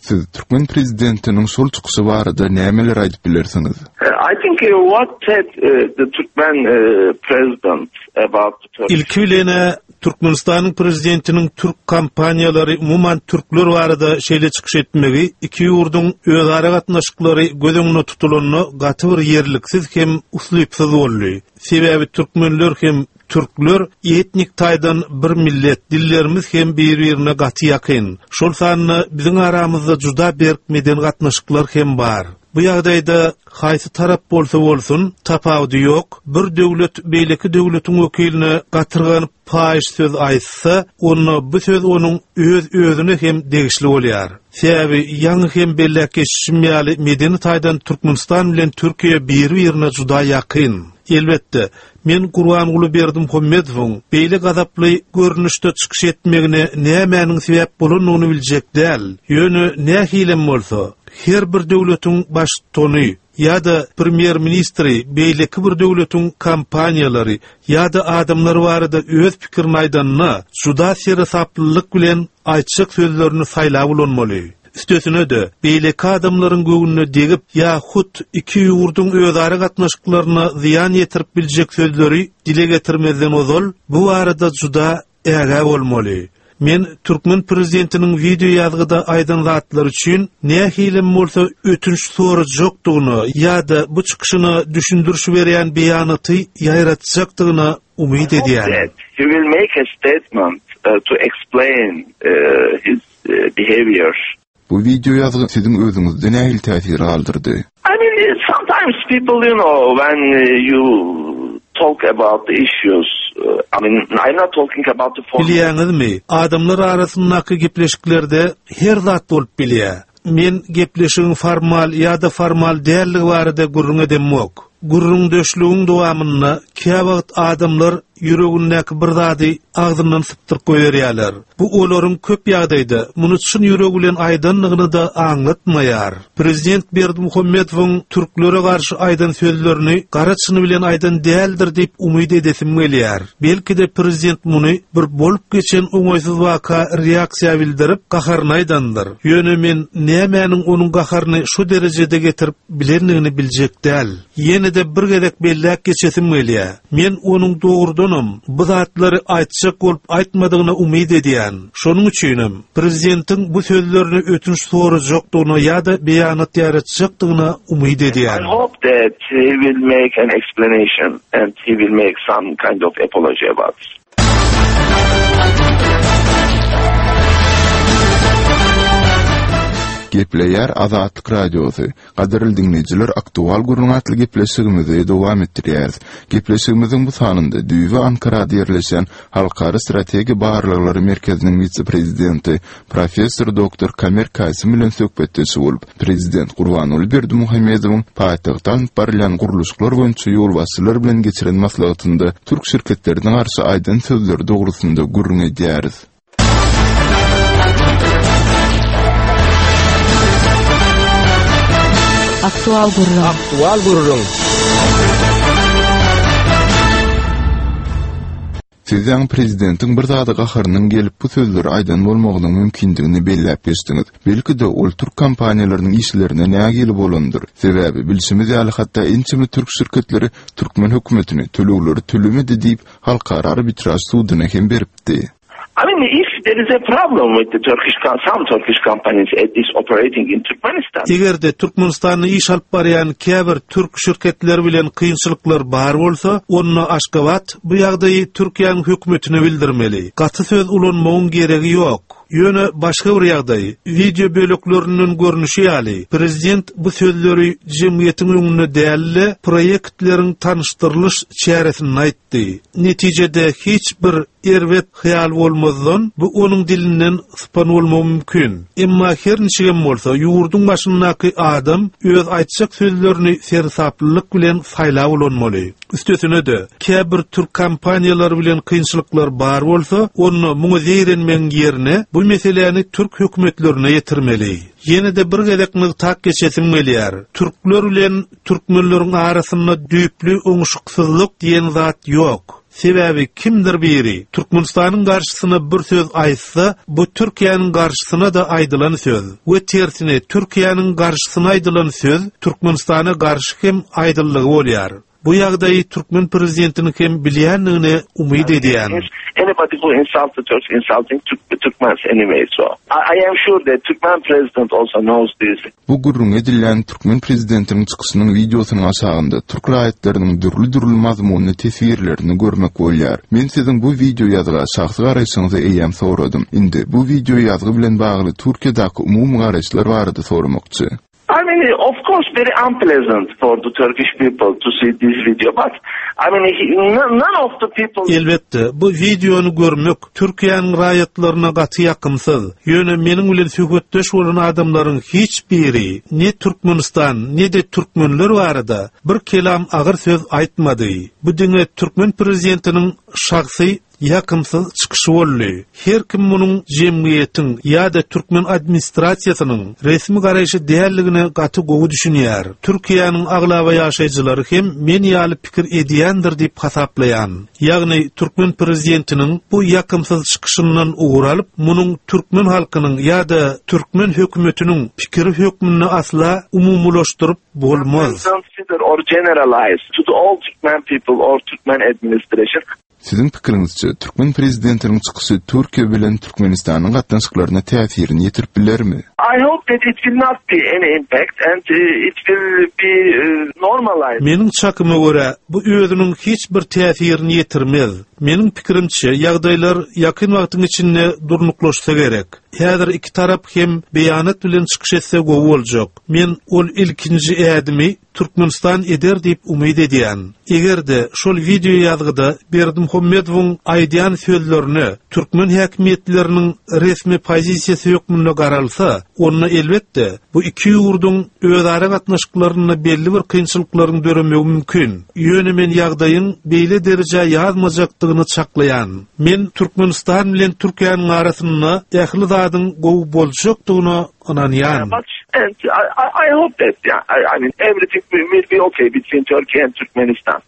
Siz türkmen prezidentiniň şol çykyşy barada nämeler aýdyp bilersiňiz? I think what said the Turkmen president about the Turkish. Ilki bilen-ä Türkmenistanyň prezidentiniň türk kompaniýalary, umuman türkler barada şeýle çykyş etmegi iki ýurduň özara gatnaşyklary göz öňünde tutulanda gaty bir ýerliksiz hem uslypsyz boldy. Sebäbi türkmenler hem Türkler etnik taýdan bir millet, dillerimiz hem bir-birine gaty ýakyn. Şol sanda biziň aramyzda juda berk medeni gatnaşyklar hem bar. Bu ýagdaýda haýsy tarap bolsa bolsun, tapawudy ýok, bir döwlet beýleki döwletiň wekiline gatyrganyp paýyş söz aýtsa, onda bu söz onuň öz-özüne hem degişli bolýar. Sebäbi ýaňy hem belläp geçişim ýaly medeni taýdan Türkmenistan bilen Türkiýe biri-birine juda ýakyn. Elbetde, Men Gurbanguly Berdimuhamedowyň beýle gazaply görnüşde çykyş etmegine nämäniň sebäp bolandygyny biljek däl. Ýöne nähilem bolsa, her bir döwletiň baştutany ýa-da premýer-ministri beýleki bir döwletiň kompaniýalary ýa-da adamlary barada öz pikirini aýdanda, juda seresaplylyk bilen aýtjak sözlerini saýlap ulanmaly. Üstesine-de, beýleki adamlaryň göwnüne degip ýa hut iki ýurduň özara gatnaşyklaryna zyýan ýetirip biljek sözleri dile getirmezden ozal bu barada juda ägä bolmaly. Men türkmen prezidentiniň wideoýazgyda aýdan zatlary üçin nähilem bolsa ötünç sorajakdygyna ýa-da bu çykyşyna düşündiriş berýän beýanaty ýaýratjakdygyna umyt edýärin. He will make a statement to explain his behavior. Bu wideo ýazgy siziň özüňizde nähili täsir galdyrdy? I mean, sometimes people, you know, when you talk about the issues, I mean, I'm not talking about the formal. Bilýäňizmi, adamlar arasyndaky gepleşiklerde her zat bolup bilýär. Men gepleşigiň formal ýa-da formal däldigi barada gürrüň edemok. Gürrüňdeşligiň dowamynda käwagt adamlar ýüregindäki bir zady agzyndan sypdyryp goýberýärler. Bu olaryň köp ýagdaýda muny çyn ýüregi bilen aýdandygyny-da aňlatmaýar. Prezident Berdimuhamedowyň türklere garşy aýdan sözlerini gara çyny bilen aýdan däldir diýip umyt edesim gelýär. Belki-de prezident muny bir bolup geçen oňaýsyz waka reaksiýa bildirip, gaharyny aýdandyr. Ýöne men nämäniň onuň gaharyny şu derejede getirip bilendigini biljek däl. Ýene-de bir gezek belläp geçesim gelýär. Men onuň dogrudanam bu zatlary aýtjak bolup aýtmadygyna umyt edýän. Şonuň üçinem, prezidentiň bu sözlerine ötünç sorajakdygyna ýa-da beýanat ýaýratjakdygyna umyt edýän. I hope that he will make an explanation and he will make some kind of apology about this. Gepleýär Azatlyk Radiosy. Gadyrly diňleýjiler, Aktual gürrüň atly gepleşigimizi dowam etdirýäris. Gepleşigimiziň bu sanynda düýbi Ankarada ýerleşýän Halkara strategiýa barlaglary merkeziniň wise-prezidenti, professor doktor Kamer Kaýsym bilen söhbetdeş bolup, prezident Gurbanguly Berdimuhamedowyň paýtagtda alnyp barylýan gurluşyklar boýunça ýolbaşçylar bilen geçiren maslahatynda türk şirketlerine garşy aýdan sözleri dogrusynda gürrüň edýäris. Aktual gürrüň. Aktual gürrüň. Siz ýaňy prezidentiň bir zada gaharynyň gelip bu sözleri aýdan bolmagynyň mümkindigini belläp geçdiňiz. Belki-de, ol türk kompaniýalarynyň işlerine nägile bolandyr. Sebäbi, bilşimiz ýaly, hatda ençeme türk şirketleri türkmen hökümetini tölegleri tölemedi diýip, halkara arbitraž suduna hem beripdi. I mean, if there is a problem with the Turkish, some Turkish companies at least operating in Turkmenistan. Eger-de Türkmenistanda iş alyp barýan käbir türk şirketleri bilen kynçylyklar bar bolsa, onda Aşgabat bu ýagdaýy Türkiýäniň hökümetine bildirmeli. Gaty söz ulanmagyň geregi ýok. Ýöne başga bir ýagdaý, wideo böleklerinden görnüşi ýaly, prezident bu sözleri jemgyýetiň öňünde däl-de, proýektleriň tanyşdyrylyş çäresinde aýtdy. Netijede hiç bir erbet hyýal bolmazdan, bu onuň dilinden sypan bolmagy mümkin. Emma her niçigem bolsa, ýurduň başyndaky adam öz aýtjak sözlerini seresaplylyk bilen saýlap ulanmaly. Üstesine-de, käbir türk kompaniýalary bilen kynçylyklar bar bolsa, onda muňa zeýrenmegiň ýerine, bu meseläni türk hökümetlerine ýetirmeli. Ýene-de bir gezek nygtap geçesim gelýär, türkler bilen türkmenleriň arasynda düýpli oňuşyksyzlyk diýen zat ýok. Sebäbi kimdir biri Türkmenistanyň garşysyna bir söz aýtsa, bu Türkiýäniň garşysyna-da aýdylan söz we tersine Türkiýäniň garşysyna aýdylan söz Türkmenistana garşy hem aýdyldygy bolýar. Bu ýagdaýy türkmen prezidentiniň hem bilýändigine umyt edýän. Anybody who insults the Turks insulting Turkmens anyway so I am sure that Turkmen president also knows this. Bu gürrüňi edilýän türkmen prezidentiniň çykyşynyň wideosynyň aşagynda türk raýatlarynyň dürli-dürli mazmunly teswirlerini görmek bolýar. Men siziň bu wideo ýazga şahsy garaýşyňyzy eýýäm soradym. Indi bu wideo ýazgy bilen bagly Türkiýedäki umumy garaýyşlar barada soramakçy. I mean, of course, very unpleasant for the Turkish people to see this video, but I mean, none of the people... Elbetde, bu wideony görmek Türkiýäniň raýatlaryna gaty ýakymsyz. Ýöne meniň bilen söhbetdeş bolan adamlaryň hiç biri ne Türkmenistan, ne-de türkmenler barada bir kelam agyr söz aýtmady. Bu diňe türkmen prezidentiniň şahsy ýakymsyz çykyşy boldy. Her kim munuň jemgyýetiň ýa-da türkmen administrasiýasynyň resmi garaýşy däldigine gaty gowy düşünýär. Türkiýäniň aglaba ýaşaýjylary hem men ýaly pikir edýändir diýip hasaplaýan. Ýagny türkmen prezidentiniň bu ýakymsyz çykyşyndan ugur alyp, munuň türkmen halkynyň ýa-da türkmen hökümetiniň pikiri hökmünde asla umumylaşdyryp bolmaz. Consider or generalize to the all Turkmen people or Turkmen administration. Siziň pikiriňizçe, türkmen prezidentiniň çykyşy Türkiýe bilen Türkmenistanyň gatnaşyklaryna täsirini ýetirip bilermi? I hope that it will not be any impact and it will be normalized. Meniň çakyma görä, bu özüniň hiç bir täsirini ýetirmez. Meniň pikirimçe, ýagdaýlar ýakyn wagtyň içinde durnuklaşsa gerek. Häzir iki tarap hem beýanat bilen çykyş etse gowy boljak. Men ol ilkinji ädimi Türkmenistan eder diýip umyt edýän. Eger-de şol wideo ýazgyda Berdimuhamedowyň aýdýan sözlerine türkmen häkimiýetleriniň resmi pozisiýasy hökmünde garalsa, onda elbetde, bu iki ýurduň özara gatnaşyklarynda belli bir kynçylyklaryň döremegi mümkin. Ýöne men ýagdaýyň beýle derejä ýazmajakdygyny çaklaýan. Men Türkmenistan bilen Türkiýäniň arasynda ähli zadyň gowy boljakdygyna ynanýan. And I, I, I hope that, yeah, I, I mean, everything will be okay between Turkey and Turkmenistan.